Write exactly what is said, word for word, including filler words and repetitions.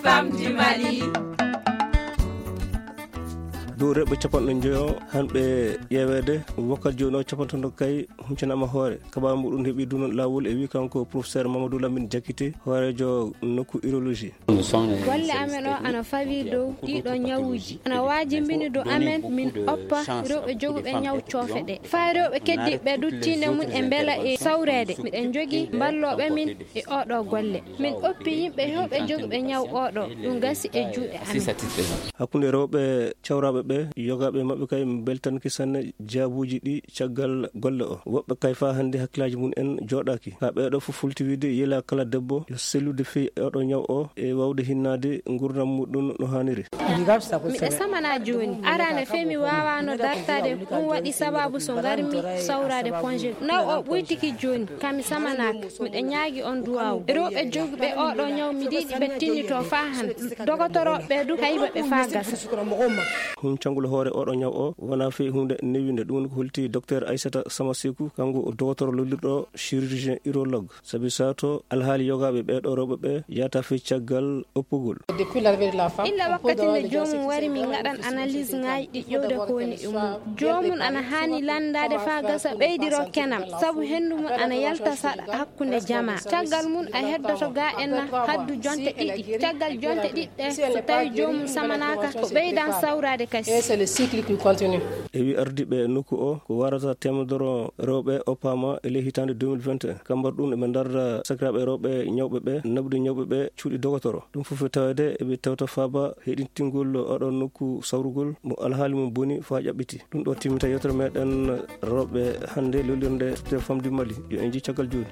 Femme du Mali. Dow rewɓe capanɗe njoyo hanɓe ƴeeweede, wakkati jooni o capanɗe tati kay huncanaama hoore. Kabaaru muɗum heɓi dunon laawol e wi kanko professeur Mamadou Lamine Diakité, hooreejo nokku urologie. Golle amen o ana fawi dow ɗiɗo ñawuuji. Ana waajimbini dow amen min oppa rewɓe joguɓe ñaw coofe ɗe. Faa rewɓe keddiiɓe du tiinde mum e mbela e sawreede. Miɗen njogii mballooɓe min e oɗo golle. Min oppi yimɓe hewɓe joguɓe ñaw oɗo. Ɗum gasi e juuɗe amen. Hakkunde rewɓe cawraaɓe ɓe, yogaaɓe maɓɓe kay mbeltanke sanne jaabuuji ɗi caggal golle o. Woɓɓe kay faa hannde hakkilaaji mum en jooɗaaki. Kaa ɓeeɗo fof fulti wiide yela kala debbo yo sellude fii oɗo ñaw o e waawde hinnaade nguurndam muɗum no haaniri. Miɗa samana jooni. Arana fee mi waawaano dartaade. Ɗum waɗi sababu so ngarmi sawraade congé. Naw o ɓuytiki jooni. Ka mi samanaaka. Miɗa ñaagi on duwaawu. Rewɓe jogiiɓe oɗo ñaw mi yiɗi ɓe tinnitoo faa han. Dogotorooɓe du kayba ɓe faa gasa. Huncangol hoore oɗo ñaw o wonaa fii huunde newinde. Ɗum woni ko holti docteur Aissata Samasekou, kanko o dogotoro lollirɗo chirurgien urologue. Sabi sato alhaali yogaaɓe ɓeeɗo rewɓe ɓe yahata fii caggal oppugol. Illa wakkati nde joomum wari min ngaɗan analyse ŋaaji ɗi ƴewde ko woni e mum. Joomum ana haani lanndaade faa gasa ɓeydiro kenam, sabu henndu mum ana yalta saɗa hakkunde jamaa. Caggal mum a heddoto ga en haddu jonte ɗiɗi. Caggal jonte ɗiɗi ɗe, so tawi joomum samanaaka, o ɓeydan sawraade kasi. Et c'est le cycle qui continue. E wi ardiiɓe nokku o, ko warata teemedere rewɓe oppaama e ley hitaande deux mille vingt et un. Kambar ɗum eɓe ndarda sakiraaɓe rewɓe ñawɓe ɓe, naɓude ñawɓe ɓe cuuɗi dogotoro. Ɗum fof e taweede eɓe tewta faaba heɗintingol oɗo nokku sawrugol mo alhaali mum boni faa ƴaɓɓiti. Ɗum ɗo timmita yewtere meɗen rewɓe hannde lollirnde Femme du Mali. Yo en njii caggal jooni.